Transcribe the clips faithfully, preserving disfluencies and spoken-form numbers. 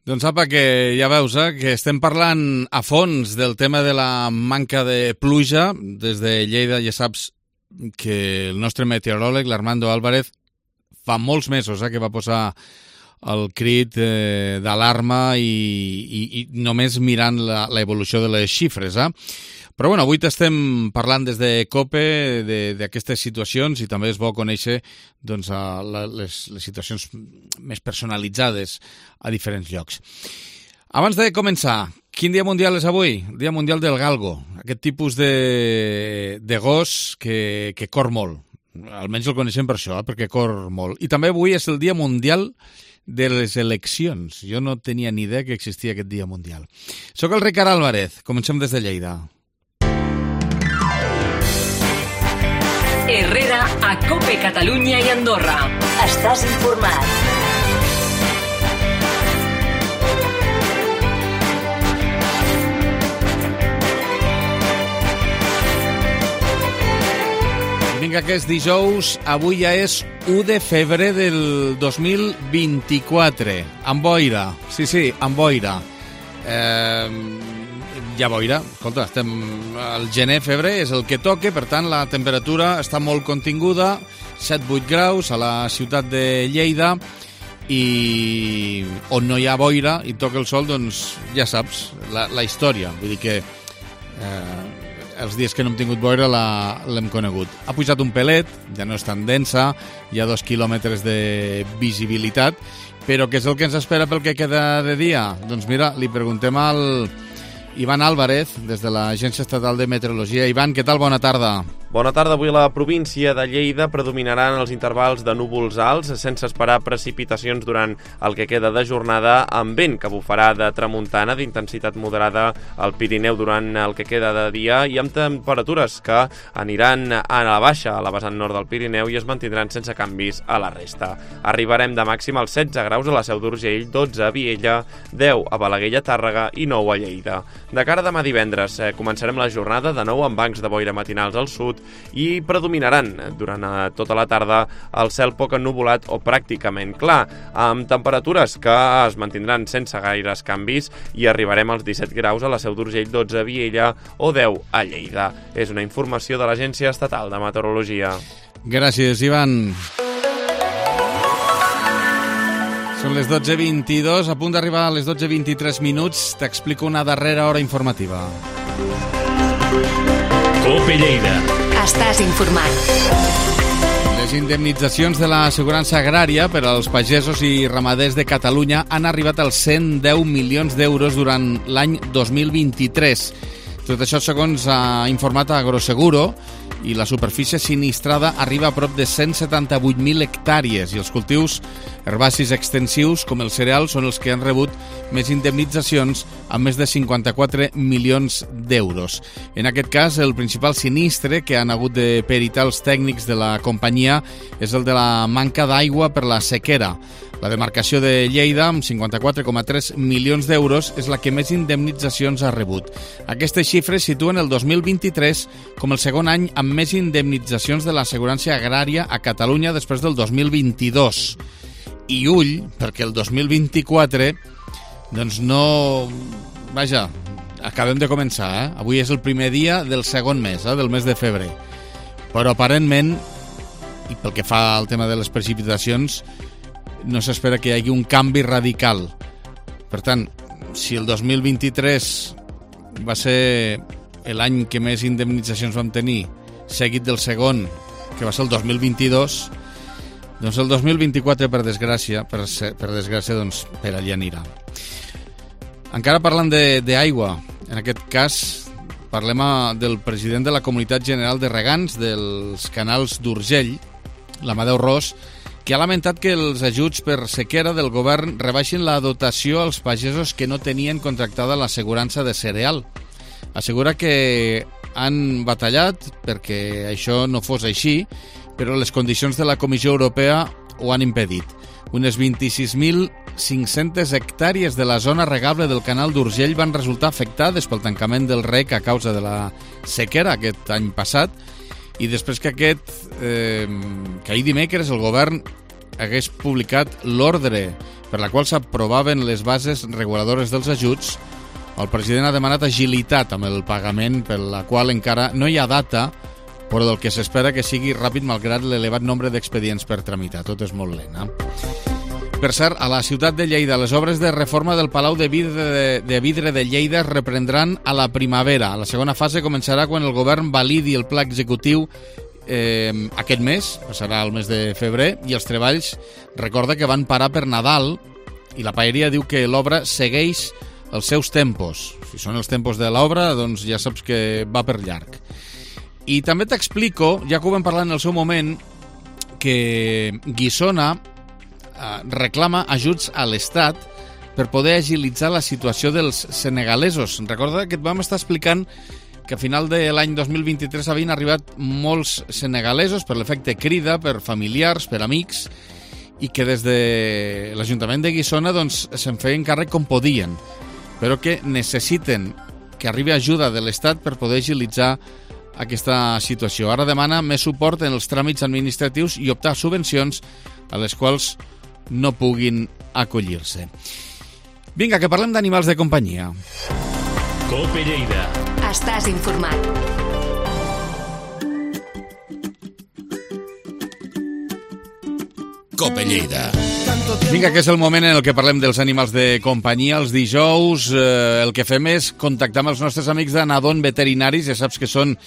Doncs apa, que ja veus, eh, que estem parlant a fons del tema de la manca de pluja. Des de Lleida ja saps que el nostre meteoròleg, l'Armando Álvarez, fa molts mesos eh, que va posar el crit eh, d'alarma i, i, i només mirant la, la evolució de les xifres. Eh? Però bueno, avui t'estem parlant des de COPE d'aquestes situacions i també és bo conèixer doncs, la, les, les situacions més personalitzades a diferents llocs. Abans de començar, quin dia mundial és avui? El dia mundial del galgo, aquest tipus de, de gos que, que cor molt. Almenys el coneixem per això, eh? Perquè cor molt. I també avui és el dia mundial de les eleccions. Jo no tenia ni idea que existia aquest dia mundial. Soc el Ricard Álvarez, comencem des de Lleida. Herrera a COPE Catalunya i Andorra. Estàs informat. Vinga, que és dijous, avui ja és u de febrer del dos mil vint-i-quatre. Amb boira, sí, sí, amb boira. Eh... Ja boira, escolta, estem al gener, febrer, és el que toque, per tant la temperatura està molt continguda, set vuit graus a la ciutat de Lleida, i on no hi ha boira i toca el sol, doncs ja saps, la, la història. Vull dir que eh, els dies que no hem tingut boira l'hem conegut. Ha pujat un pelet, ja no és tan densa, hi ha dos quilòmetres de visibilitat, però què és el que ens espera pel que queda de dia? Doncs mira, li preguntem al Ivan Álvarez, des de l'Agència Estatal de Meteorologia. Ivan, què tal? Bona tarda. Bona tarda. Avui a la província de Lleida predominaran els intervals de núvols alts, sense esperar precipitacions durant el que queda de jornada, amb vent que bufarà de tramuntana d'intensitat moderada al Pirineu durant el que queda de dia i amb temperatures que aniran a la baixa a la vessant nord del Pirineu i es mantindran sense canvis a la resta. Arribarem de màxim als setze graus a la Seu d'Urgell, dotze a Viella, deu a Balaguer i Tàrrega i nou a Lleida. De cara a demà divendres, eh, començarem la jornada de nou amb bancs de boira matinals al sud i predominaran durant eh, tota la tarda el cel poc ennuvolat o pràcticament clar, amb temperatures que es mantindran sense gaires canvis i arribarem als disset graus a la Seu d'Urgell, dotze a Viella o deu a Lleida. És una informació de l'Agència Estatal de Meteorologia. Gràcies, Ivan. Són les dotze vint-i-dos, a punt d'arribar a les dotze vint-i-tres minuts. T'explico una darrera hora informativa. COPE Lleida. Estàs informat. Les indemnitzacions de l'assegurança agrària per als pagesos i ramaders de Catalunya han arribat als cent deu milions d'euros durant l'any dos mil vint-i-tres. Tot això segons ha informat Agroseguro, i la superfície sinistrada arriba a prop de cent setanta-vuit mil hectàrees i els cultius herbacis extensius com els cereals són els que han rebut més indemnitzacions amb més de cinquanta-quatre milions d'euros. En aquest cas, el principal sinistre que han hagut de peritar els tècnics de la companyia és el de la manca d'aigua per la sequera. La demarcació de Lleida, amb cinquanta-quatre coma tres milions d'euros, és la que més indemnitzacions ha rebut. Aquestes xifres situen el dos mil vint-i-tres com el segon any amb més indemnitzacions de l'assegurança agrària a Catalunya després del dos mil vint-i-dos. I ull, perquè el dos mil vint-i-quatre, doncs no... Vaja, acabem de començar, eh? Avui és el primer dia del segon mes, eh? Del mes de febrer. Però aparentment, i pel que fa al tema de les precipitacions, no s'espera que hi hagi un canvi radical. Per tant, si el dos mil vint-i-tres va ser l'any que més indemnitzacions vam tenir, seguit del segon, que va ser el dos mil vint-i-dos, doncs el dos mil vint-i-quatre, per desgràcia, per, ser, per desgràcia, doncs per allà anirà. Encara parlant d'aigua, en aquest cas parlem del president de la Comunitat General de Regants dels Canals d'Urgell, l'Amadeu Ros, que ha lamentat que els ajuts per sequera del govern rebaixin la dotació als pagesos que no tenien contractada l'assegurança de cereal. Assegura que han batallat perquè això no fos així, però les condicions de la Comissió Europea ho han impedit. Unes vint-i-sis mil cinc-centes hectàrees de la zona regable del canal d'Urgell van resultar afectades pel tancament del rec a causa de la sequera aquest any passat, i després que aquest, eh, que ahir dimecres el govern hagués publicat l'ordre per la qual s'aprovaven les bases reguladores dels ajuts, el president ha demanat agilitat amb el pagament, per la qual encara no hi ha data, però del que s'espera que sigui ràpid malgrat l'elevat nombre d'expedients per tramitar. Tot és molt lent, eh? Per cert, a la ciutat de Lleida, les obres de reforma del Palau de Vidre de, de, Vidre de Lleida es reprendran a la primavera. La segona fase començarà quan el govern validi el pla executiu eh, aquest mes, passarà el mes de febrer, i els treballs, recorda que van parar per Nadal, i la paeria diu que l'obra segueix els seus tempos. Si són els tempos de l'obra, doncs ja saps que va per llarg. I també t'explico, ja que ho vam parlar en el seu moment, que Guissona reclama ajuts a l'Estat per poder agilitzar la situació dels senegalesos. Recorda que et vam estar explicant que a final de l'any dos mil vint-i-tres havien arribat molts senegalesos per l'efecte crida, per familiars, per amics, i que des de l'Ajuntament de Guissona doncs, se'n feien càrrec com podien, però que necessiten que arribi ajuda de l'Estat per poder agilitzar aquesta situació. Ara demana més suport en els tràmits administratius i optar a subvencions a les quals no puguin acollir-se. Vinga, que parlem d'animals de companyia. Cope Lleida. Estàs informat. Cope Lleida. Vinga, que és el moment en el que parlem dels animals de companyia. Els dijous eh, el que fem és contactar amb els nostres amics d'Anadon Veterinaris. Ja saps que són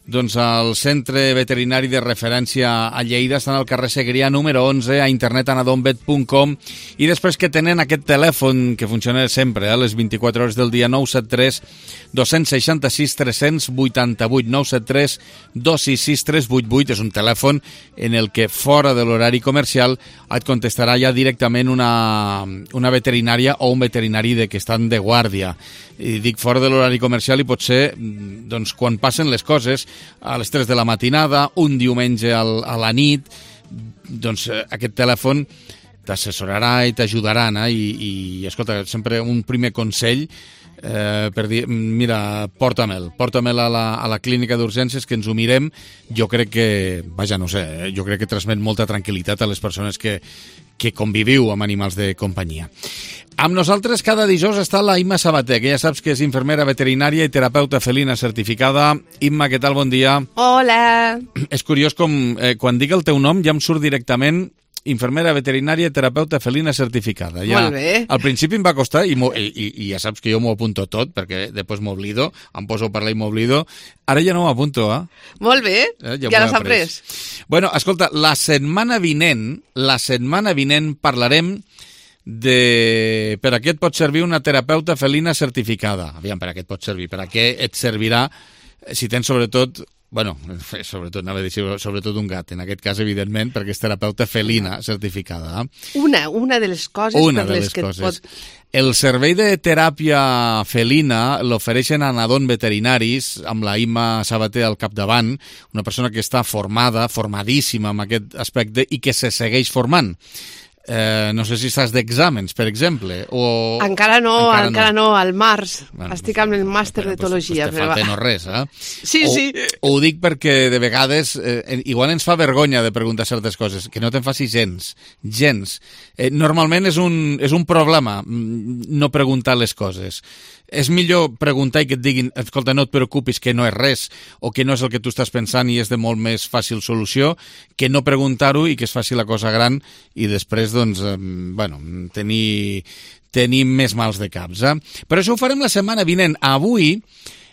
doncs, el centre veterinari de referència a Lleida. Estan al carrer Segrià número onze, a internet anadonvet punt com, i després que tenen aquest telèfon que funciona sempre a eh, les vint-i-quatre hores del dia, nou set tres dos sis sis tres vuit vuit, nou set tres dos sis sis tres vuit vuit. És un telèfon en el que fora de l'horari comercial et contestarà ja directament una, una veterinària o un veterinari de que estan de guàrdia. I dic fora de l'horari comercial i potser doncs, quan passen les coses a les tres de la matinada, un diumenge al, a la nit, doncs aquest telèfon t'assessorarà i t'ajudarà, eh? I, i escolta, sempre un primer consell eh, per dir, mira, porta-me'l, porta-me'l a la, a la clínica d'urgències, que ens ho mirem. Jo crec que, vaja, no sé, eh, jo crec que transmet molta tranquil·litat a les persones que, que conviviu amb animals de companyia. Amb nosaltres cada dijous està la Imma Sabater, que ja saps que és infermera veterinària i terapeuta felina certificada. Imma, què tal? Bon dia. Hola. És curiós com eh, quan dic el teu nom ja em surt directament infermera veterinària i terapeuta felina certificada. Ja, molt bé. Al principi em va costar, i, i, i ja saps que jo m'ho apunto tot, perquè després m'oblido, em poso a parlar i m'oblido. Ara ja no m'apunto, eh? Molt bé, eh, ja, ja l'has après. Bueno, escolta, la setmana vinent, la setmana vinent parlarem de per a què et pot servir una terapeuta felina certificada. Aviam, per a què et pot servir? Per a què et servirà si tens sobretot, bueno, sobretot, anava a dir sobretot un gat, en aquest cas, evidentment, perquè és terapeuta felina certificada. Una, una de les coses una per de les, les que coses. et pot... El servei de teràpia felina l'ofereixen a Anadon Veterinaris, amb la Imma Sabater al capdavant, una persona que està formada, formadíssima en aquest aspecte i que se segueix formant. Eh, no sé si estàs d'exàmens, per exemple, o... Encara no, encara, encara no. no, al març. Bueno, estic amb el màster d'etologia. Pues, pues te falta no res, eh? Sí, o, sí. Ho dic perquè de vegades eh, igual ens fa vergonya de preguntar certes coses, que no te'n faci gens, gens. Eh, normalment és un, és un problema no preguntar les coses. És millor preguntar i que et diguin, escolta, no et preocupis, que no és res, o que no és el que tu estàs pensant i és de molt més fàcil solució, que no preguntar-ho i que es faci la cosa gran i després, doncs, eh, bueno, tenir, tenir més mals de caps. Eh? Però això ho farem la setmana vinent. Avui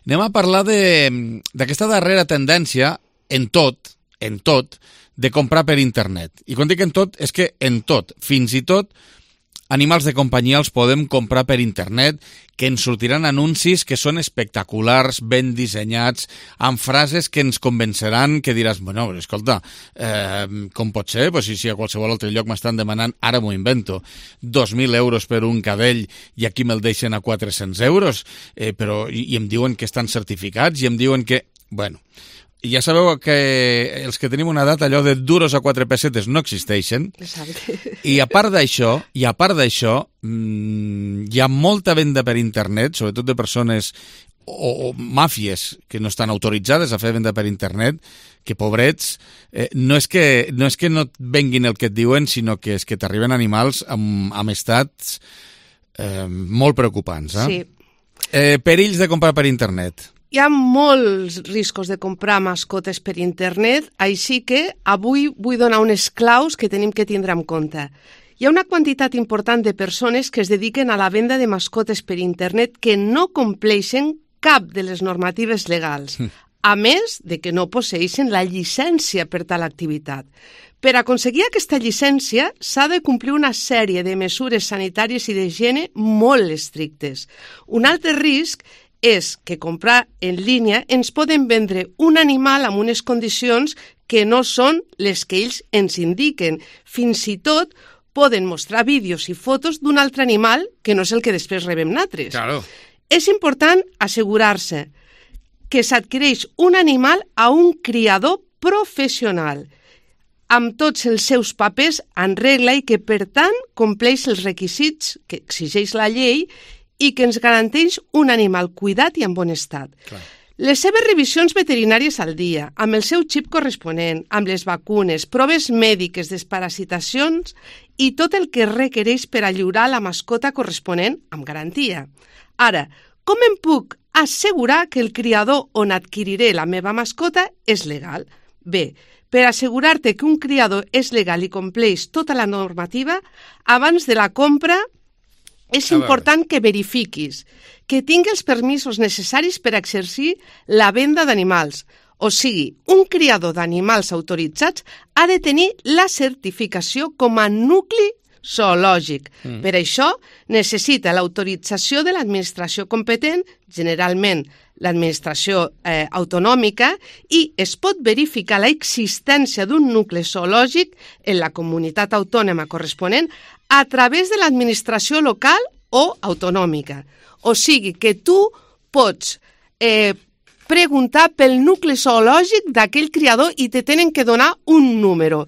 anem a parlar d'aquesta darrera tendència en tot, en tot, de comprar per internet. I quan dic en tot, és que en tot, fins i tot animals de companyia els podem comprar per internet, que ens sortiran anuncis que són espectaculars, ben dissenyats, amb frases que ens convenceran, que diràs, bueno, escolta, eh, com pot ser? Pues si, si a qualsevol altre lloc m'estan demanant, ara m'ho invento, dos mil euros per un cadell i aquí me'l deixen a quatre-cents euros, eh, però, i, i em diuen que estan certificats i em diuen que... Bueno, ja sabeu que els que tenim una edat, allò de duros a quatre pessetes no existeixen. Exacte. I a part d'això, i a part d'això, mmm, hi ha molta venda per internet, sobretot de persones o, o màfies que no estan autoritzades a fer venda per internet, que pobrets, eh, no, és que, no és que no et venguin el que et diuen, sinó que és que t'arriben animals amb, amb estats eh, molt preocupants. Eh? Sí. Eh, perills de comprar per internet. Hi ha molts riscos de comprar mascotes per internet, així que avui vull donar unes claus que tenim que tindre en compte. Hi ha una quantitat important de persones que es dediquen a la venda de mascotes per internet que no compleixen cap de les normatives legals, a més de que no posseeixen la llicència per tal activitat. Per aconseguir aquesta llicència s'ha de complir una sèrie de mesures sanitàries i d'higiene molt estrictes. Un altre risc és que comprar en línia ens poden vendre un animal amb unes condicions que no són les que ells ens indiquen. Fins i tot poden mostrar vídeos i fotos d'un altre animal que no és el que després rebem nosaltres. Claro. És important assegurar-se que s'adquireix un animal a un criador professional, amb tots els seus papers en regla i que, per tant, compleix els requisits que exigeix la llei i que ens garanteix un animal cuidat i en bon estat. Clar. Les seves revisions veterinàries al dia, amb el seu xip corresponent, amb les vacunes, proves mèdiques, desparasitacions i tot el que requereix per a lliurar la mascota corresponent amb garantia. Ara, com em puc assegurar que el criador on adquiriré la meva mascota és legal? Bé, per assegurar-te que un criador és legal i compleix tota la normativa, abans de la compra és important que verifiquis que tingui els permisos necessaris per exercir la venda d'animals. O sigui, un criador d'animals autoritzats ha de tenir la certificació com a nucli zoològic. Mm. Per això necessita l'autorització de l'administració competent, generalment l'administració eh, autonòmica, i es pot verificar l'existència d'un nucli zoològic en la comunitat autònoma corresponent a través de l'administració local o autonòmica. O sigui que tu pots eh, preguntar pel nucli zoològic d'aquell criador i te tenen que donar un número,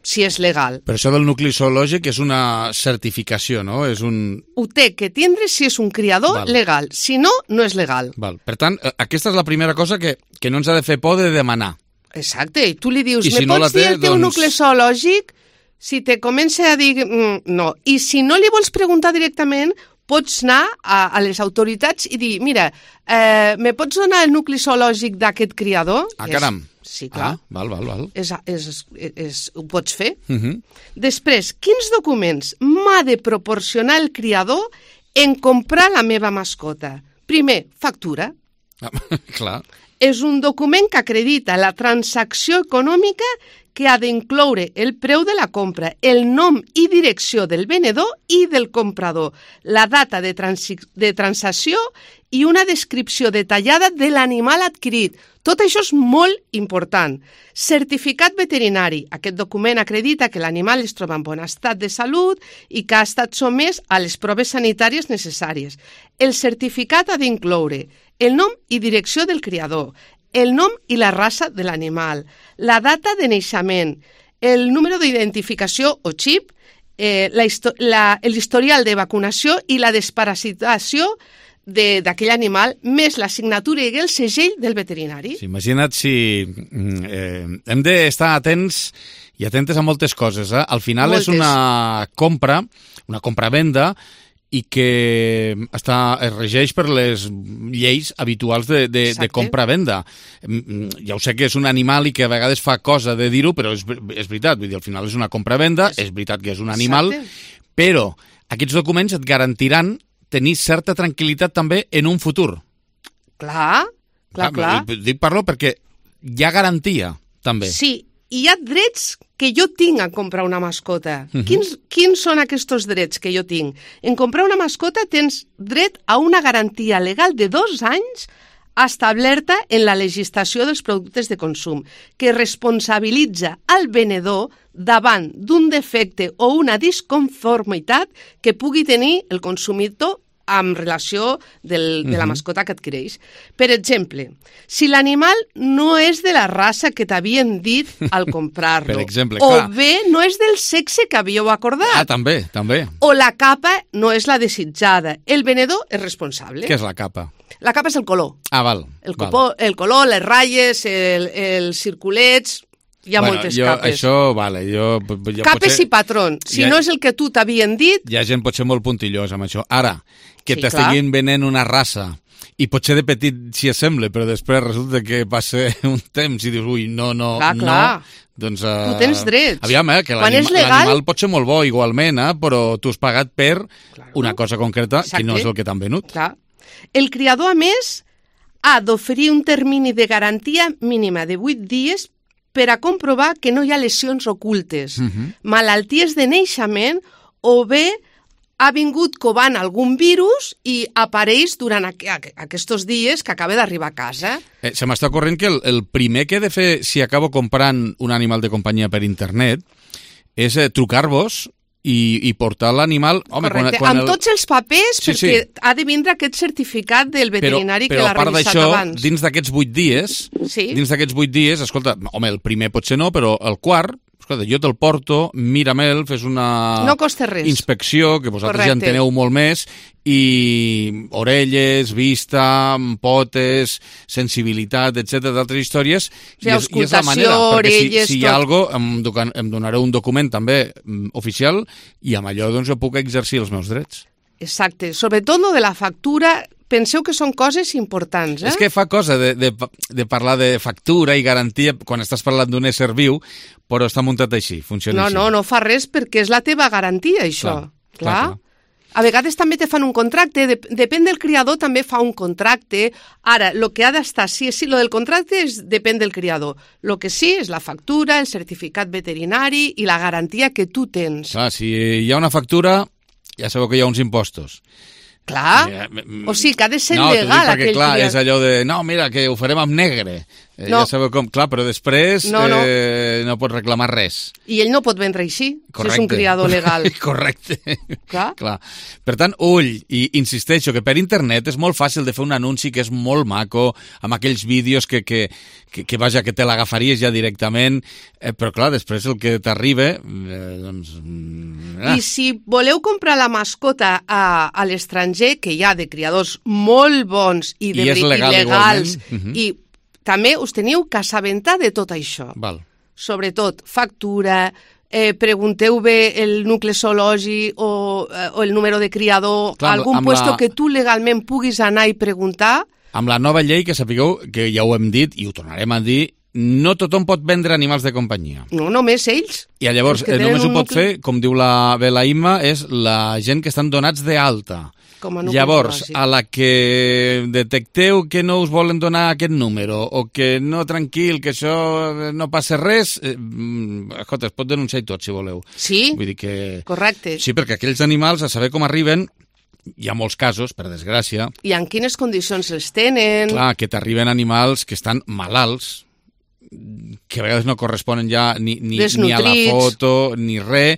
si és legal. Per això del nucli zoològic és una certificació, no? És un... Ho té que tindre si és un criador Val. legal. Si no, no és legal. Val. Per tant, aquesta és la primera cosa que, que no ens ha de fer por de demanar. Exacte. I tu li dius, I me si no pots té, dir el teu doncs... nucli zoològic? Si te comença a dir mm, no. I si no li vols preguntar directament, pots anar a, a les autoritats i dir, mira, eh, me pots donar el nucli zoològic d'aquest criador? Ah, caram. És... Sí, clar. Ah, val, val, val. És, és, és, és, ho pots fer. Uh -huh. Després, quins documents m'ha de proporcionar el criador en comprar la meva mascota? Primer, factura. Ah, clar. És un document que acredita la transacció econòmica que ha d'incloure el preu de la compra, el nom i direcció del venedor i del comprador, la data de, de transacció i una descripció detallada de l'animal adquirit. Tot això és molt important. Certificat veterinari. Aquest document acredita que l'animal es troba en bon estat de salut i que ha estat sotmès a les proves sanitàries necessàries. El certificat ha d'incloure el nom i direcció del criador, el nom i la raça de l'animal, la data de naixement, el número d'identificació o xip, eh, l'historial de vacunació i la desparasitació d'aquell animal, més la signatura i el segell del veterinari. Sí, imagina't si eh, hem d'estar atents i atentes a moltes coses. Eh? Al final moltes. És una compra, una compra-venda, i que està, es regeix per les lleis habituals de, de, de compra-venda. Ja ho sé que és un animal i que a vegades fa cosa de dir-ho, però és, és veritat, vull dir, al final és una compra-venda, és veritat que és un animal, Exacte. Però aquests documents et garantiran tenir certa tranquil·litat també en un futur. Clar, clar, clar. clar. Dic parlo perquè hi ha garantia, també. Sí, hi ha drets que jo tinc a comprar una mascota. Uh-huh. Quins, quins són aquests drets que jo tinc? En comprar una mascota tens dret a una garantia legal de dos anys establerta en la legislació dels productes de consum, que responsabilitza el venedor davant d'un defecte o una disconformitat que pugui tenir el consumidor amb relació del, de la mascota que adquireix. Per exemple, si l'animal no és de la raça que t'havien dit al comprar-lo, Per exemple, o clar. bé no és del sexe que havíeu acordat, Ah, també, també. o la capa no és la desitjada, el venedor és responsable. Què és la capa? La capa és el color. Ah, val. El, val. copó, el color, les ratlles, el, els circulets... Hi ha bueno, moltes jo, capes. Això, vale, jo... jo Capes potser, i patrons. Si Ja- no és el que tu t'havien dit, Hi ha gent potser molt puntillosa amb això. Ara, que Sí, t'estiguin venent una raça i potser de petit s'hi assembla, però després resulta que passa un temps i dius, ui, no, no, Clar, no... clar. Doncs, uh, Tu tens drets. Aviam, eh, que Quan l'anim- és legal- l'animal pot ser molt bo igualment, eh, però tu has pagat per una cosa concreta Exacte. que no és el que t'han venut. clar. El criador, a més, ha d'oferir un termini de garantia mínima de vuit dies per a comprovar que no hi ha lesions ocultes, Mhm. malalties de naixement o bé ha vingut covant algun virus i apareix durant aqu aqu aquests dies que acaba d'arribar a casa. Eh, se m'està corrent que el, el primer que he de fer si acabo comprant un animal de companyia per internet és eh, trucar-vos i, i portar l'animal... Home, quan, Correcte, quan amb el... tots els papers, Sí, perquè sí. ha de vindre aquest certificat del veterinari però, que l'ha però a part revisat d'això, abans. dins d'aquests vuit dies, Sí. dins d'aquests vuit dies, escolta, home, el primer potser no, però el quart, escolta, jo te'l porto, miramel, fes una No costa res. inspecció, que vosaltres ja en Correcte. teneu molt més, i orelles, vista, potes, sensibilitat, etcètera, d'altres històries, Sí, i, és, i és la manera, auscultació, perquè si, orelles, si hi ha tot. algo, em, doca- em donareu un document també mm, oficial, i amb allò doncs jo puc exercir els meus drets. Exacte. Sobretot lo de la factura, penseu que són coses importants, eh? És que fa cosa de, de, de parlar de factura i garantia quan estàs parlant d'un ésser viu, però està muntat així, funciona No, així. no, no fa res perquè és la teva garantia, això. Clar, clar, clar. A vegades també te fan un contracte, dep depèn del criador, també fa un contracte. Ara, el que ha d'estar, sí, sí, lo del contracte és, depèn del criador. El que sí és la factura, el certificat veterinari i la garantia que tu tens. Clar, si hi ha una factura, ja sabeu que hi ha uns impostos. Clar, Eh, mm, o sigui que ha de ser no, t'ho dic legal perquè, aquell clar, criador. és allò de, no, mira, que ho farem amb negre. Eh, No. Ja sabeu com, clar, però després No, no. Eh, no pots reclamar res. I ell no pot vendre així, Correcte. si és un criador legal. Correcte. Clar. Clar. Per tant, ull, i insisteixo que per internet és molt fàcil de fer un anunci que és molt maco, amb aquells vídeos que, que, que, que vaja, que te l'agafaries ja directament, eh, però clar, després el que t'arriba, eh, doncs... mm, Ah. I si voleu comprar la mascota a, a l'estranger, que hi ha de criadors molt bons i de I és veri- legal legals, igualment. Mhm. i també us teniu que assabentar de tot això. Val. Sobretot factura, eh, pregunteu bé el nucli zoològic o, eh, o el número de criador, Clar, amb- algun amb puesto la- que tu legalment puguis anar i preguntar. Amb la nova llei, que sapigueu, que ja ho hem dit i ho tornarem a dir, no tothom pot vendre animals de companyia. No només ells. I llavors, Els que eh, tenen només ho un pot nucli- fer, com diu la, bé la Imma, és la gent que estan donats d'alta. Com a nucli Llavors, zoològic. a la que detecteu que no us volen donar aquest número o que no, tranquil, que això no passa res, eh, mm, escolta, es pot denunciar i tot, si voleu. Sí, Vull dir que... correcte. Sí, perquè aquells animals, a saber com arriben, hi ha molts casos, per desgràcia, I en quines condicions els tenen. clar, que t'arriben animals que estan malalts, que a vegades no corresponen ja ni, ni, ni a la Desnutrits. foto ni res,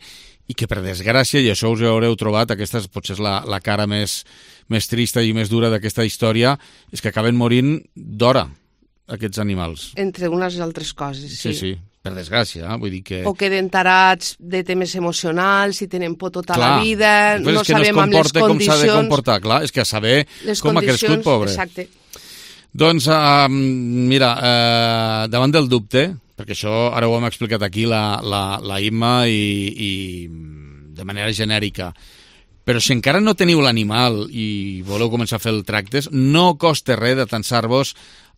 i que per desgràcia, i això us ho haureu trobat, aquesta és, potser és la, la cara més, més trista i més dura d'aquesta història, és que acaben morint d'hora, aquests animals. Entre unes i altres coses, Sí, sí, per desgràcia, eh? Vull dir que... O queden tarats de temes emocionals, si tenen por tota Clar, la vida, després no és que sabem no es amb les comporta com s'ha de condicions... comportar, clar, és que a saber les com ha crescut, condicions- pobre. Exacte. Doncs, uh, mira, uh, davant del dubte, perquè això ara ho hem explicat aquí la, la, la Imma i, i de manera genèrica, però si encara no teniu l'animal i voleu començar a fer el tractes, no costa res d'atansar-vos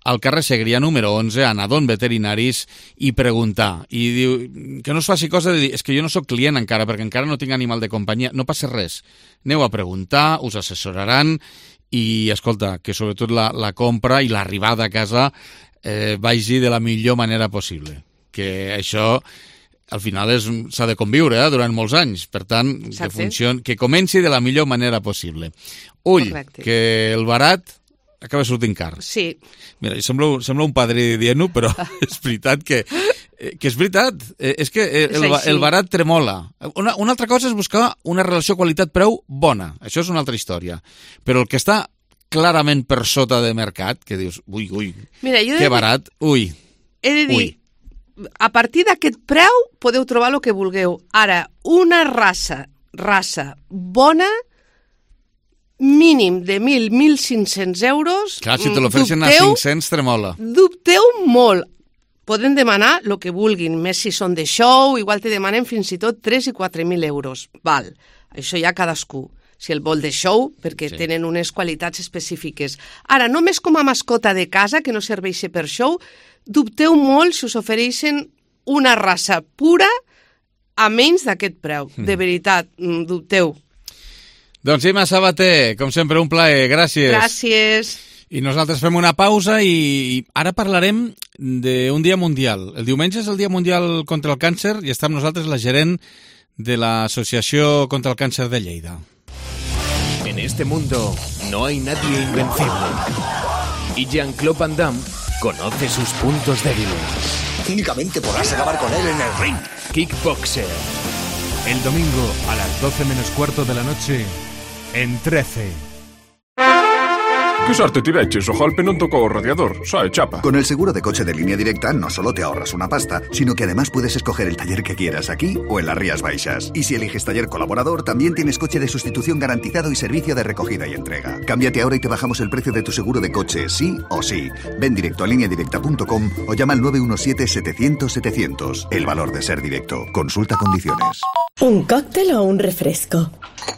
al carrer Segrià número onze, a Nadon Veterinaris, i preguntar. I diu, que no us faci cosa de dir, és que jo no sóc client encara, perquè encara no tinc animal de companyia. No passa res. Aneu a preguntar, us assessoraran, i, escolta, que sobretot la, la compra i l'arribada a casa eh, vagi de la millor manera possible. Que això, al final, és- s'ha de conviure eh, durant molts anys. Per tant, que, Exacte. funcioni, que comenci de la millor manera possible. Ull, Correcte. que el barat acaba sortint car. Sí, Mira, sembla, sembla un padre dient-ho, però és veritat que Eh, que és veritat, eh, és que el, el, el barat tremola. Una, una altra cosa és buscar una relació qualitat-preu bona, això és una altra història. Però el que està clarament per sota de mercat, que dius, ui, ui, Mira, jo que barat, ui. He de dir, ui. a partir d'aquest preu podeu trobar el que vulgueu. Ara, una raça, raça bona, mínim de mil, mil cinc-cents euros... Clar, si te l'ofereixen a cinc-cents, tremola. Dubteu molt. Poden demanar el que vulguin, més si són de show, igual te demanen fins i tot tres i quatre mil euros. Val, això ja cadascú. Si el vol de show, perquè sí. tenen unes qualitats específiques. Ara, només com a mascota de casa, que no serveix per show, dubteu molt si us ofereixen una raça pura a menys d'aquest preu. Mm. De veritat, dubteu. Doncs Imma Sabater, com sempre, un plaer. Gràcies. Gràcies. I nosaltres fem una pausa i ara parlarem d'un dia mundial. El diumenge és el Dia Mundial contra el Càncer i està amb nosaltres la gerent de l'Associació contra el Càncer de Lleida. En este mundo no hay nadie invencible. Y Jean-Claude Van Damme conoce sus puntos débiles. Únicamente podrás acabar con él en el ring. Kickboxer. El domingo a las doce menos cuarto de la noche en trece. ¿Qué suerte te veches? O golpe non tocó o radiador, sae chapa. Con el seguro de coche de Línea Directa no solo te ahorras una pasta, sino que además puedes escoger el taller que quieras aquí o en las Rías Baixas. Y si eliges taller colaborador, también tienes coche de sustitución garantizado y servicio de recogida y entrega. Cámbiate ahora y te bajamos el precio de tu seguro de coche, sí o sí. Ven directo a línea directa punto com o llama al nueve uno siete, setecientos, setecientos. El valor de ser directo. Consulta condiciones. ¿Un cóctel o un refresco?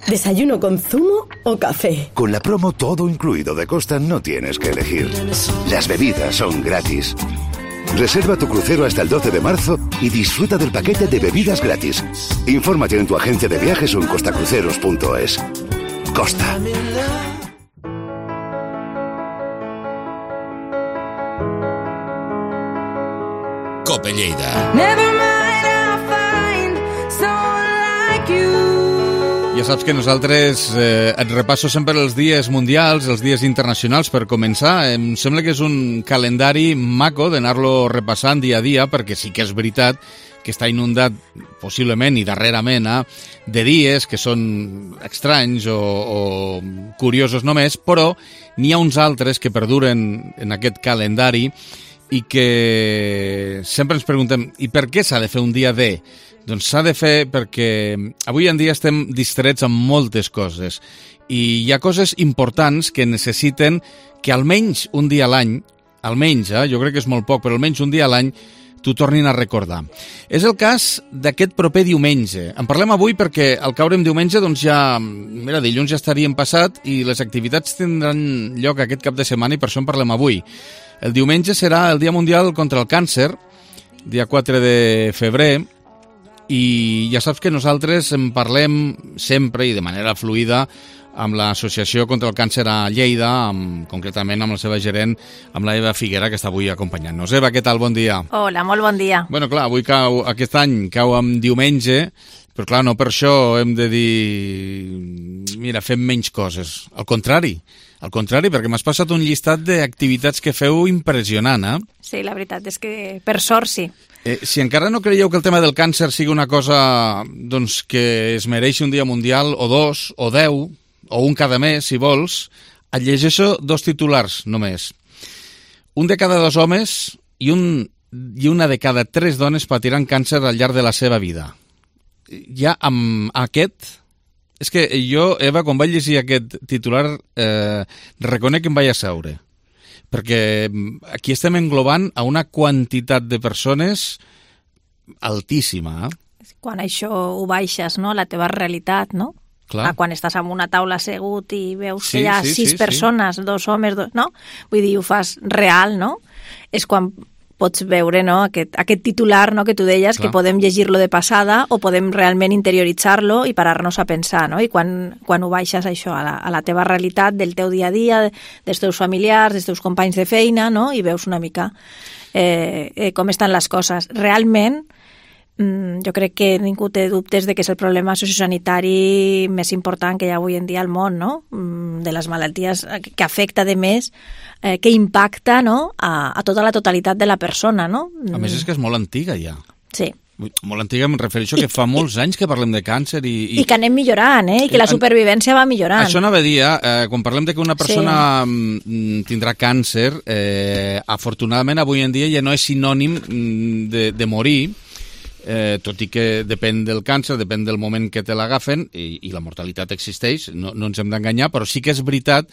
¿Desayuno con zumo o café? Con la promo todo incluido de Costa no tienes que elegir. Las bebidas son gratis. Reserva tu crucero hasta el doce de marzo y disfruta del paquete de bebidas gratis. Infórmate en tu agencia de viajes o en costacruceros punto es. Costa. Cope Lleida. Ja saps que nosaltres eh, et repasso sempre els dies mundials, els dies internacionals per començar. Em sembla que és un calendari maco d'anar-lo repassant dia a dia, perquè sí que és veritat que està inundat possiblement i darrerament eh, de dies que són estranys o, o curiosos només, però n'hi ha uns altres que perduren en aquest calendari i que sempre ens preguntem i per què s'ha de fer un dia de... Doncs s'ha de fer perquè avui en dia estem distrets amb moltes coses i hi ha coses importants que necessiten que almenys un dia a l'any, almenys, eh, jo crec que és molt poc, però almenys un dia a l'any t'ho tornin a recordar. És el cas d'aquest proper diumenge. En parlem avui perquè al caure en diumenge doncs ja, mira, dilluns ja estaríem passat i les activitats tindran lloc aquest cap de setmana i per això en parlem avui. El diumenge serà el Dia Mundial contra el Càncer, dia quatre de febrer, i ja saps que nosaltres en parlem sempre i de manera fluida amb l'Associació contra el Càncer a Lleida, amb, concretament amb la seva gerent, amb la Eva Figuera, que està avui acompanyant-nos. Eva, què tal? Bon dia. Hola, molt bon dia. Bueno, clar, avui cau, aquest any cau amb diumenge, però clar, no per això hem de dir mira, fem menys coses. Al contrari, al contrari, perquè m'has passat un llistat d'activitats que feu impressionant, eh? Sí, la veritat és que per sort sí. Eh, si encara no creieu que el tema del càncer sigui una cosa doncs, que es mereixi un dia mundial, o dos, o deu, o un cada mes, si vols, et llegeixo dos titulars només. Un de cada dos homes i, un, i una de cada tres dones patiran càncer al llarg de la seva vida. Ja amb aquest... És que jo, Eva, quan vaig llegir aquest titular, eh, reconec que em vaig asseure. Perquè aquí estem englobant a una quantitat de persones altíssima. Eh? Quan això ho baixes, no?, la teva realitat, no? Clar. Ah, quan estàs en una taula assegut i veus sí, que hi ha sí, sis sí, persones, sí. dos homes, dos, no? Vull dir, ho fas real, no? És quan pots veure, no?, aquest, aquest titular, no?, que tu deies, Clar. Que podem llegir-lo de passada o podem realment interioritzar-lo i parar-nos a pensar, no? I quan, quan ho baixes això a la, a la teva realitat, del teu dia a dia, dels teus familiars, dels teus companys de feina, no?, i veus una mica eh, eh, com estan les coses. Realment, jo crec que ningú té dubtes de que és el problema sociosanitari més important que hi ha avui en dia al món, no? De les malalties que afecta de més, eh, que impacta, no? a, a tota la totalitat de la persona, no? A més és que és molt antiga ja. Sí. Molt antiga, em refereixo que fa molts anys que parlem de càncer i... I, I que anem millorant, eh? I que la supervivència va millorant. Això anava a dir, eh? Quan parlem de que una persona sí. tindrà càncer, eh, afortunadament avui en dia ja no és sinònim de, de morir, eh, tot i que depèn del càncer, depèn del moment que te l'agafen, i, i la mortalitat existeix, no, no ens hem d'enganyar, però sí que és veritat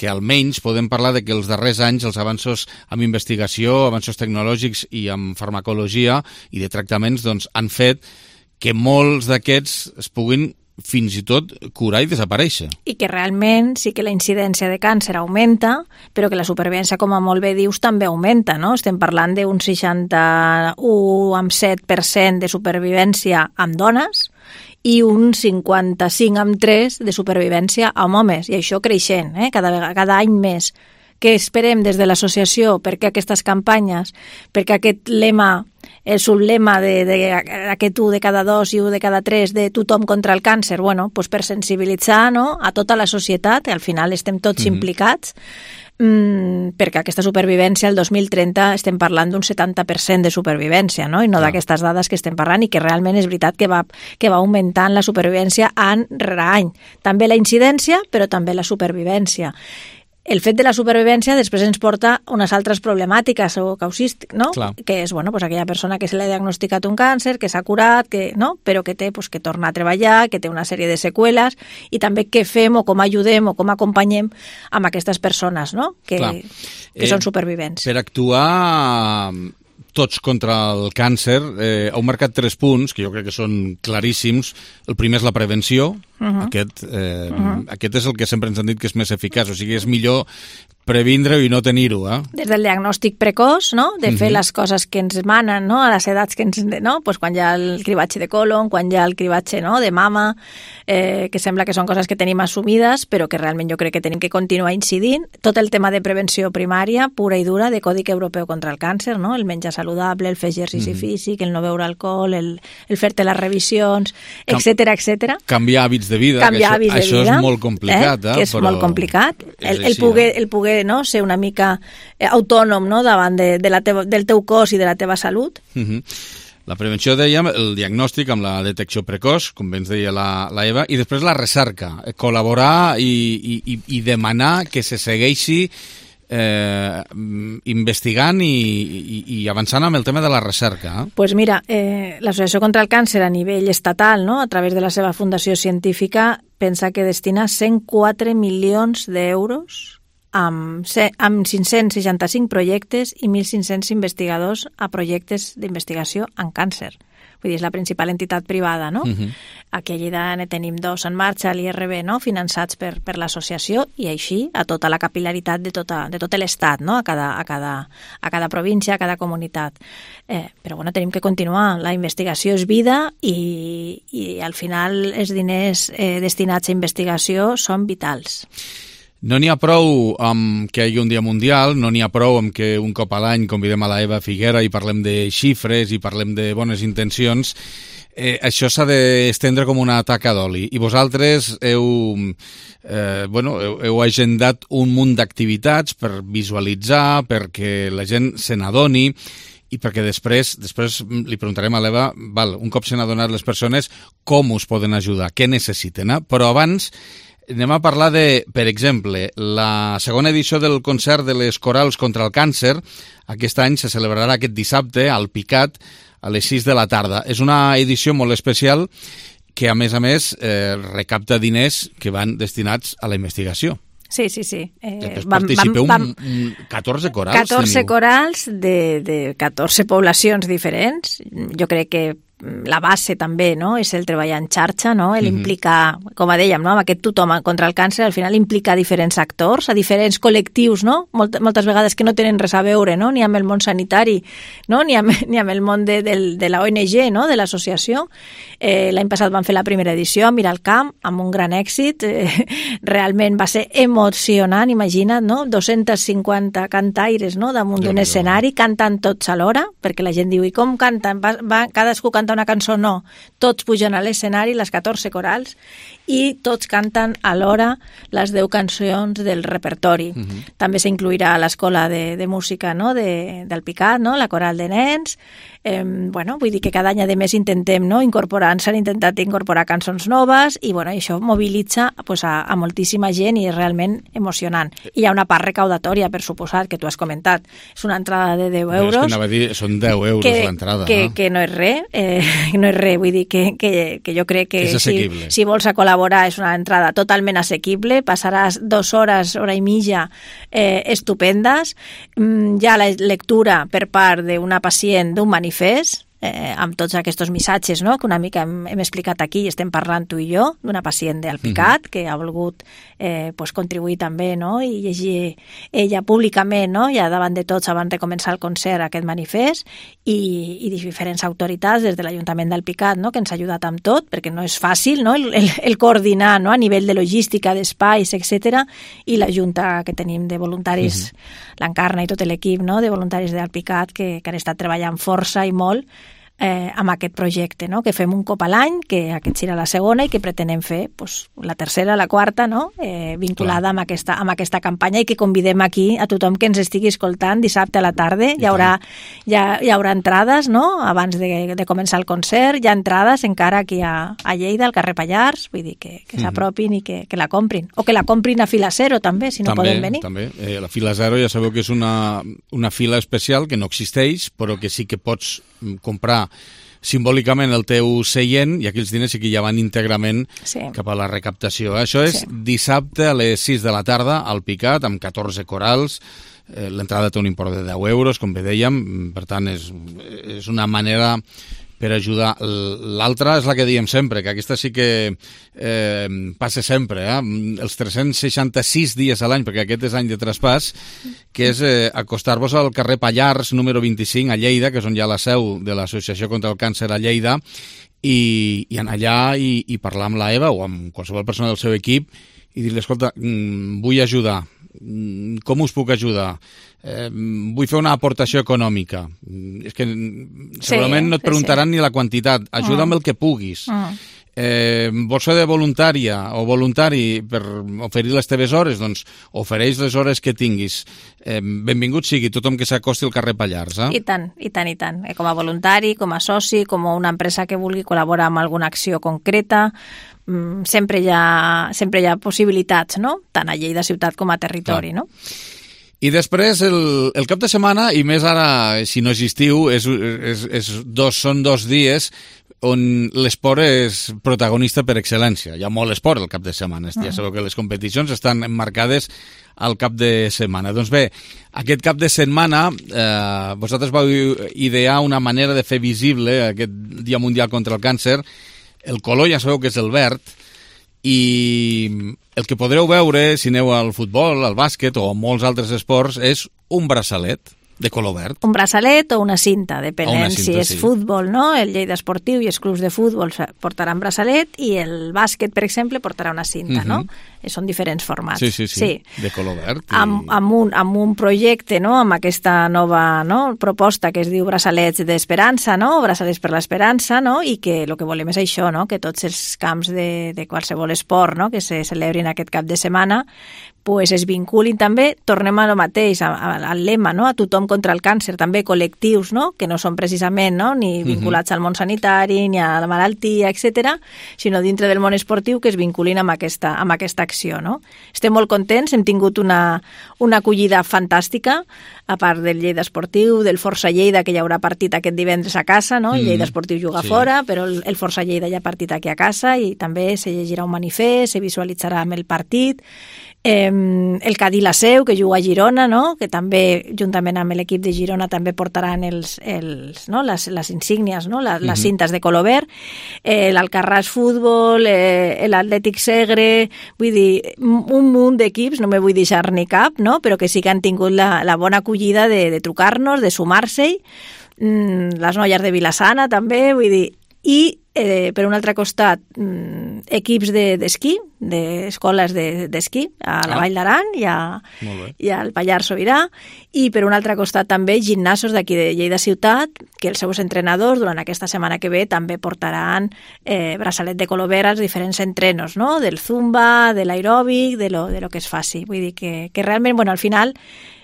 que almenys podem parlar de que els darrers anys els avanços en investigació, avanços tecnològics i en farmacologia i de tractaments doncs, han fet que molts d'aquests es puguin fins i tot curar i desaparèixer. I que realment sí que la incidència de càncer augmenta, però que la supervivència, com a molt bé dius, també augmenta, no? Estem parlant d'un seixanta-u coma set per cent de supervivència amb dones i un cinquanta-cinc coma tres de supervivència amb homes, i això creixent, eh? cada, cada any més. Què esperem des de l'associació? Perquè aquestes campanyes, perquè aquest lema, el sublema de, de, aquest u de cada dos i u de cada tres de tothom contra el càncer, bueno, pues per sensibilitzar, no? A tota la societat, al final estem tots mm-hmm. implicats, mm, perquè aquesta supervivència el dos mil trenta estem parlant d'un setanta per cent de supervivència, no? I no ah. d'aquestes dades que estem parlant, i que realment és veritat que va, que va augmentant la supervivència any rere any. També la incidència, però també la supervivència. El fet de la supervivència després ens porta unes altres problemàtiques o causístiques, no? Clar. Que és, bueno, pues aquella persona que se li ha diagnosticat un càncer, que s'ha curat, que, no? Però que té pues, que tornar a treballar, que té una sèrie de seqüeles, i també què fem o com ajudem o com acompanyem amb aquestes persones, no? Que, que eh, són supervivents. Per actuar tots contra el càncer, eh, heu marcat tres punts que jo crec que són claríssims. El primer és la prevenció. Uh-huh. Aquest, eh, uh-huh. aquest és el que sempre ens han dit que és més eficaç, o sigui, és millor previndre-ho i no tenir-ho. Eh? Des del diagnòstic precoç, no? De fer uh-huh. les coses que ens manen, no? A les edats que ens... No? Pues quan hi ha el cribatge de colon, quan hi ha el cribatge, no? De mama, eh, que sembla que són coses que tenim assumides, però que realment jo crec que tenim que continuar incidint. Tot el tema de prevenció primària, pura i dura, de Codi Europeu contra el càncer, no? El menjar saludable, el fer exercici uh-huh. físic, el no beure alcohol, el, el fer-te les revisions, etcètera, etcètera. Canviar hàbits de vida, Canviar que això, hàbits de això vida, és molt complicat. Eh? Eh? Que és però molt complicat. El, el, així, poder, eh? el poder no, ser una mica autònom, no? Davant de, de la teva, del teu cos i de la teva salut. Uh-huh. La prevenció, dèiem, el diagnòstic amb la detecció precoç, com bé ens deia la, la Eva, i després la recerca, col·laborar i, i, i demanar que se segueixi eh, investigant i, i, i avançant amb el tema de la recerca. Eh? Pues mira, eh, l'Associació contra el Càncer a nivell estatal, no? A través de la seva fundació científica, pensa que destina cent quatre milions d'euros amb, amb cinc-cents seixanta-cinc projectes i mil cinc-cents investigadors a projectes d'investigació en càncer. Vull dir, és la principal entitat privada, no? Uh-huh. Aquí a Lleida ne tenim dos en marxa, l'I R B, no? Finançats per, per l'associació, i així a tota la capil·laritat de, tota, de tot l'Estat, no? A cada, a, cada, a cada província, a cada comunitat. Eh, però bueno, tenim que continuar. La investigació és vida i, i al final els diners eh, destinats a investigació són vitals. No n'hi ha prou amb que hi hagi un dia mundial, no n'hi ha prou amb que un cop a l'any convidem a la Eva Figuera i parlem de xifres i parlem de bones intencions. Eh, això s'ha d'estendre com una taca d'oli. I vosaltres heu, eh, bueno, heu, heu agendat un munt d'activitats per visualitzar, perquè la gent se n'adoni, i perquè després després li preguntarem a l'Eva, val, un cop se n'han adonat les persones, com us poden ajudar, què necessiten, eh? Però abans anem a parlar de, per exemple, la segona edició del concert de les corals contra el càncer. Aquest any se celebrarà aquest dissabte al Picat a les sis de la tarda. És una edició molt especial que, a més a més, eh, recapta diners que van destinats a la investigació. Sí, sí, sí. Eh, vam, participeu vam, vam, catorze corals. catorze teniu. Corals de, de catorze poblacions diferents. Jo crec que la base també, no?, és el treballar en xarxa, no?, l'implicar, uh-huh. com dèiem, no?, amb aquest tothom contra el càncer, al final implica diferents actors, a diferents col·lectius, no?, Molt, moltes vegades que no tenen res a veure, no?, ni amb el món sanitari, no?, ni amb, ni amb el món de, de, de la O N G, no?, de l'associació. Eh, l'any passat vam fer la primera edició a Miralcamp, amb un gran èxit, eh, realment va ser emocionant, imagina't, no?, dos-cents cinquanta cantaires, no?, damunt d'un escenari, cantant tots alhora, perquè la gent diu, i com canten? Va, va, cadascú canta canta una cançó, no. Tots pugen a l'escenari, les catorze corals, i tots canten alhora les deu cançons del repertori. Uh-huh. També s'incluirà l'escola de, de música, no? de, del Picat, no? La coral de nens. Eh, bueno, vull dir que cada any, a més, intentem, no? incorporar, s'han intentat incorporar cançons noves i bueno, això mobilitza pues, a, a moltíssima gent i és realment emocionant. I hi ha una part recaudatòria, per suposat, que tu has comentat. És una entrada de deu euros. És que anava a dir, són deu euros que, l'entrada. Que, no? que no és res, eh, no és res, vull dir que, que, que jo crec que si, si vols a col·laborar és una entrada totalment assequible, passaràs dues hores, hora i mitja eh, estupendes. Mm, hi ha la lectura per part d'una pacient d'un manifest, eh, amb tots aquests missatges, no?, que una mica hem, hem explicat aquí i estem parlant tu i jo, d'una pacient del Picat, uh-huh. que ha volgut eh, pues, contribuir també, no?, i llegir ella públicament, no?, ja davant de tots abans de començar el concert aquest manifest, i, i diferents autoritats des de l'Ajuntament del Picat, no?, que ens ha ajudat amb tot, perquè no és fàcil, no?, el, el, el coordinar, no?, a nivell de logística, d'espais, etcètera, i la Junta que tenim de voluntaris, uh-huh. l'Encarna i tot l'equip, no?, de voluntaris del Picat, que, que han estat treballant força i molt Eh, amb aquest projecte, no? Que fem un cop a l'any, que aquest serà la segona i que pretenem fer pues, la tercera, la quarta, no? eh, vinculada amb aquesta, amb aquesta campanya i que convidem aquí a tothom que ens estigui escoltant dissabte a la tarda. Hi haurà, hi, ha, hi haurà entrades, no? Abans de, de començar el concert, hi ha entrades encara aquí a, a Lleida, al carrer Pallars, vull dir que, que s'apropin i que, que la comprin. O que la comprin a fila zero també, si no també, poden venir. També, eh, la fila zero ja sabeu que és una, una fila especial que no existeix, però que sí que pots comprar simbòlicament el teu seient i aquells diners sí que ja van íntegrament sí. cap a la recaptació. Això és sí. dissabte a les sis de la tarda al Picat, amb catorze corals. Eh, l'entrada té un import de deu euros, com bé dèiem, per tant és, és una manera per ajudar. L'altra és la que diem sempre, que aquesta sí que eh, passa sempre, eh? els tres-cents seixanta-sis dies a l'any, perquè aquest és any de traspàs, que és eh, acostar-vos al carrer Pallars, número vint-i-cinc, a Lleida, que és on hi ha la seu de l'Associació contra el Càncer a Lleida, i, i anar allà i, i parlar amb la Eva o amb qualsevol persona del seu equip i dir-li, escolta, vull ajudar, com us puc ajudar? Eh, vull fer una aportació econòmica. És que segurament sí, no et preguntaran sí, sí. ni la quantitat. Ajuda amb mm. el que puguis. Mm. Eh, vols fer de voluntària o voluntari per oferir les teves hores? Doncs ofereix les hores que tinguis. Eh, benvingut sigui tothom que s'acosti al carrer Pallars. Eh? I tant, i tant, i tant. Eh, com a voluntari, com a soci, com a una empresa que vulgui col·laborar amb alguna acció concreta, mm, sempre hi ha, sempre hi ha possibilitats, no? Tant a Lleida ciutat com a territori, Clar. no? I després, el, el cap de setmana, i més ara, si no és estiu, és, és, és dos, són dos dies on l'esport és protagonista per excel·lència. Hi ha molt esport el cap de setmana. Uh-huh. Ja sabeu que les competicions estan emmarcades al cap de setmana. Doncs bé, aquest cap de setmana eh, vosaltres vau idear una manera de fer visible aquest Dia Mundial contra el Càncer. El color ja sabeu que és el verd, i el que podreu veure si aneu al futbol, al bàsquet o a molts altres esports és un braçalet de color verd. Un braçalet o una cinta, depenent una cinta, si és sí. futbol, no? El Lleida Esportiu i els clubs de futbol portaran braçalet i el bàsquet, per exemple, portarà una cinta, uh-huh. no? Són diferents formats. Sí, sí, sí, sí. De color verd. I... Amb, amb, un, amb un projecte, no?, amb aquesta nova no? proposta que es diu braçalets d'esperança, no?, braçalets per l'esperança, no?, i que el que volem és això, no?, que tots els camps de, de qualsevol esport, no?, que se celebrin aquest cap de setmana, pues es vinculin també, tornem a lo mateix, al lema, no?, a tothom contra el càncer, també col·lectius, no?, que no són precisament, no?, ni vinculats uh-huh. al món sanitari, ni a la malaltia, etcètera, sinó dintre del món esportiu que es vinculin amb aquesta, amb aquesta acció, no? Estem molt contents, hem tingut una, una acollida fantàstica, a part del Lleida Esportiu, del Força Lleida, que hi haurà partit aquest divendres a casa, no? El Lleida Esportiu juga sí. fora, però el, el Força Lleida hi ha partit aquí a casa i també se llegirà un manifest, se visualitzarà amb el partit. Eh, el Cadí la Seu, que juga a Girona, no? Que també, juntament amb l'equip de Girona, també portaran els, els, no? les, les insígnies, no? les, les cintes de color verd, eh, l'Alcarràs Futbol, eh, l'Atlètic Segre, vull dir, un munt d'equips, no me vull deixar ni cap, no? Però que sí que han tingut la, la bona acollida de, de trucar-nos, de sumar-se-hi, mm, les noies de Vilassana també, vull dir, i eh, per un altre costat equips d'esquí, de, d'escoles d'esquí a la ah. Vall d'Aran i, a, i al Pallars Sobirà, i per un altre costat també gimnasos d'aquí de Lleida Ciutat, que els seus entrenadors durant aquesta setmana que ve també portaran eh, braçalet de color verd als diferents entrenos, no? Del zumba, de l'aeròbic, de lo, de lo que es faci. Vull dir que, que realment, bueno, al final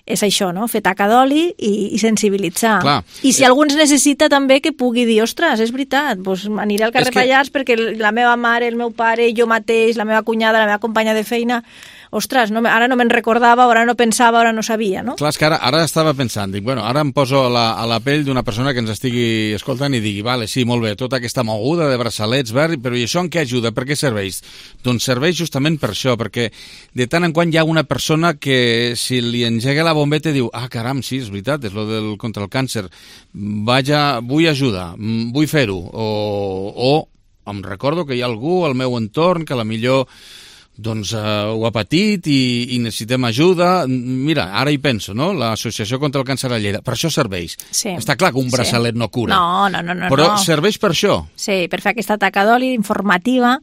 és això, no? Fer taca d'oli i, i sensibilitzar. Clar. I si algú ens necessita també que pugui dir, ostres, és veritat, doncs aniré al carrer que... Pallars perquè la meva mare, el meu pare, jo mateix, la meva cunyada, la meva companya de feina, ostres, no, ara no me'n recordava, ara no pensava, ara no sabia, no? Clar, és que ara, ara estava pensant, dic, bueno, ara em poso a la, a la pell d'una persona que ens estigui escoltant i digui, vale, sí, molt bé, tota aquesta moguda de braçalets verds, però i això en què ajuda? Per què serveix? Doncs serveix justament per això, perquè de tant en quant hi ha una persona que si li engega la bombeta diu, ah, caram, sí, és veritat, és lo del contra el càncer, vaja, vull ajudar, vull fer-ho, o, o em recordo que hi ha algú al meu entorn que a la millor doncs uh, ho ha patit i, i necessitem ajuda. Mira, ara hi penso, no? L'Associació contra el Càncer a Lleida. Per això serveix. Sí. Està clar que un braçalet sí. no cura. No, no, no. no però no. serveix per això. Sí, per fer aquesta taca d'oli informativa,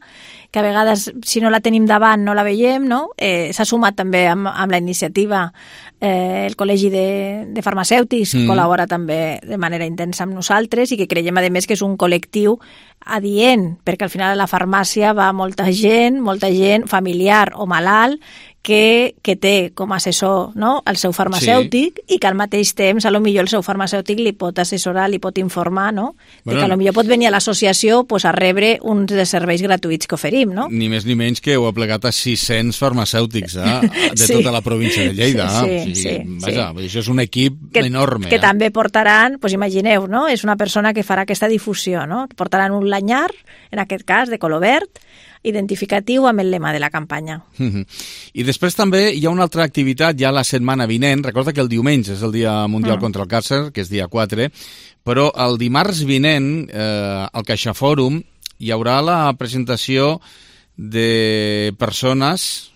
que a vegades, si no la tenim davant, no la veiem, no? Eh, s'ha sumat també amb, amb la iniciativa eh, el Col·legi de, de Farmacèutics, mm. col·labora també de manera intensa amb nosaltres i que creiem, a més, que és un col·lectiu adient, perquè al final a la farmàcia va molta gent, molta gent familiar o malalt que, que té com a assessor, no?, el seu farmacèutic sí. i que al mateix temps a lo millor el seu farmacèutic li pot assessorar, li pot informar, no?, bueno, que a lo millor pot venir a l'associació pues, a rebre uns dels serveis gratuïts que oferim, no? Ni més ni menys que heu aplegat a sis-cents farmacèutics eh? de sí. tota la província de Lleida. Sí, o sigui, sí, vaja, sí. Això és un equip que, enorme. Que eh? també portaran, pues imagineu, no?, és una persona que farà aquesta difusió, no? Portaran un lanyar, en aquest cas, de color verd, identificatiu amb el lema de la campanya. Mm-hmm. I després també hi ha una altra activitat ja la setmana vinent. Recorda que el diumenge és el Dia Mundial mm. contra el Càncer, que és dia quatre, però el dimarts vinent eh, al CaixaFòrum hi haurà la presentació de persones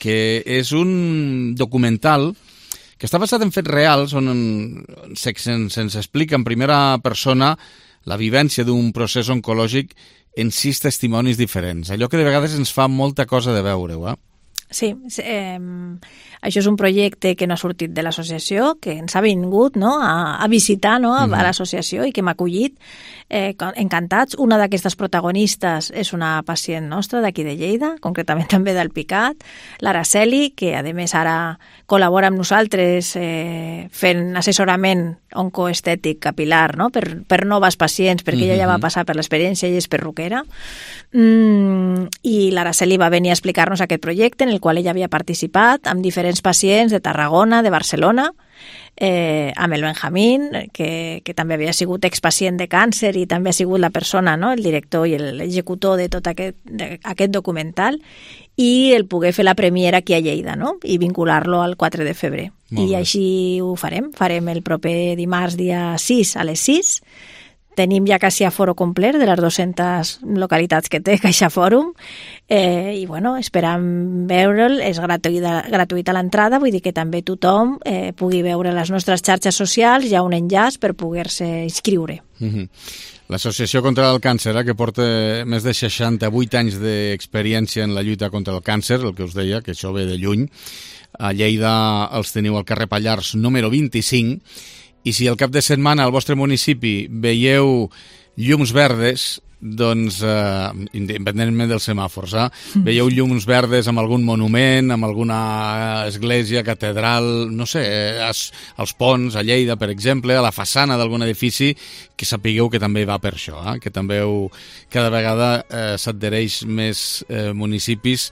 que és un documental que està basat en fets reals on se'ns se, se explica en primera persona la vivència d'un procés oncològic en sis testimonis diferents. Allò que de vegades ens fa molta cosa de veure-ho, eh? Sí, eh, això és un projecte que no ha sortit de l'associació, que ens ha vingut, no?, a, a visitar, no?, a, mm-hmm. a l'associació i que m'ha acollit eh, encantats. Una d'aquestes protagonistes és una pacient nostra d'aquí de Lleida, concretament també del Picat, l'Araceli, que a més ara col·labora amb nosaltres eh, fent assessorament oncoestètic capilar, no?, per, per noves pacients, perquè mm-hmm. ella ja va passar per l'experiència, ella és perruquera, mm, i l'Araceli va venir a explicar-nos aquest projecte en el qual ella havia participat amb diferents pacients de Tarragona, de Barcelona, eh, amb el Benjamín, que, que també havia sigut expacient de càncer i també ha sigut la persona, no?, el director i l'executor de tot aquest, de, aquest documental, i el poder fer la premiera aquí a Lleida, no?, i vincular-lo al quatre de febrer. I així ho farem. Farem el proper dimarts, dia sis, a les sis. Tenim ja quasi aforo complet de les dues-centes localitats que té CaixaFòrum eh, i bueno, esperam veure'l, és gratuïta, gratuïta l'entrada, vull dir que també tothom eh, pugui veure les nostres xarxes socials, hi ha un enllaç per poder-se inscriure. Mm-hmm. L'Associació contra el Càncer, eh, que porta més de seixanta-vuit anys d'experiència en la lluita contra el càncer, el que us deia, que això ve de lluny. A Lleida els teniu al carrer Pallars número vint-i-cinc, i si al cap de setmana al vostre municipi veieu llums verdes, doncs, eh, independentment dels semàfors, eh, veieu llums verdes amb algun monument, amb alguna església, catedral, no sé, als, als ponts, a Lleida, per exemple, a la façana d'algun edifici, que sapigueu que també va per això, eh, que també heu, cada vegada eh, s'adhereix més eh, municipis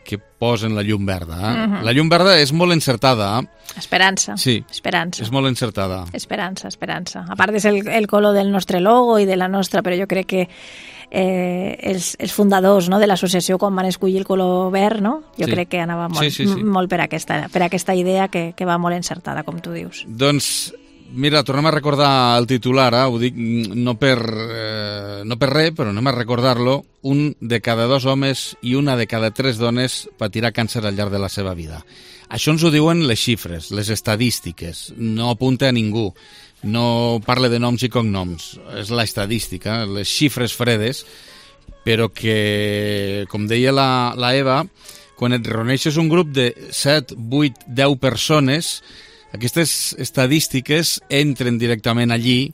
que posen la llum verda. Eh? Uh-huh. La llum verda és molt encertada. Eh? Esperança. Sí, esperança. És molt encertada. Esperança, esperança. A part és el, el color del nostre logo i de la nostra, però jo crec que eh, els, els fundadors, no?, de l'associació, quan van escollir el color verd, no?, jo sí. crec que anava molt, sí, sí, sí. molt per, aquesta, per aquesta idea que, que va molt encertada, com tu dius. Doncs mira, tornem a recordar el titular, eh? Ho dic no per, eh, no per res, però anem a recordar-lo. Un de cada dos homes i una de cada tres dones patirà càncer al llarg de la seva vida. Això ens ho diuen les xifres, les estadístiques. No apunta a ningú. No parla de noms i cognoms. És l'estadística, les xifres fredes, però que, com deia la, la Eva, quan et reuneixes un grup de set, vuit, deu persones, aquestes estadístiques entren directament allí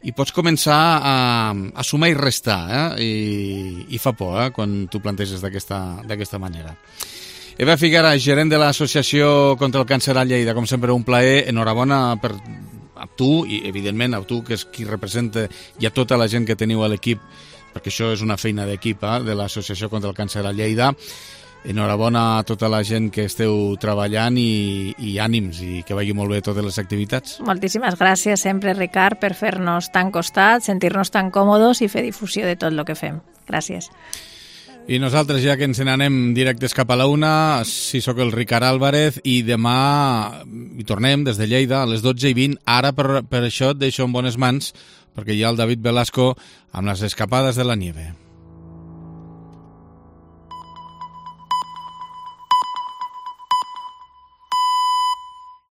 i pots començar a, a sumar i restar, eh? I, i fa por, eh? Quan tu planteges d'aquesta manera. Eva Figuera, gerent de l'Associació contra el Càncer a Lleida, com sempre un plaer, enhorabona per a tu i evidentment a tu, que és qui representa, i a tota la gent que teniu a l'equip, perquè això és una feina d'equip, eh? De l'Associació contra el Càncer a Lleida. Enhorabona a tota la gent que esteu treballant i, i ànims, i que vagi molt bé totes les activitats. Moltíssimes gràcies sempre, Ricard, per fer-nos tan costat, sentir-nos tan còmodes i fer difusió de tot el que fem. Gràcies. I nosaltres ja que ens n'anem directes cap a la una, si sóc el Ricard Álvarez, i demà hi tornem des de Lleida a les dotze i vint. Ara per, per això et deixo en bones mans, perquè hi ha el David Velasco amb les escapades de la nieve.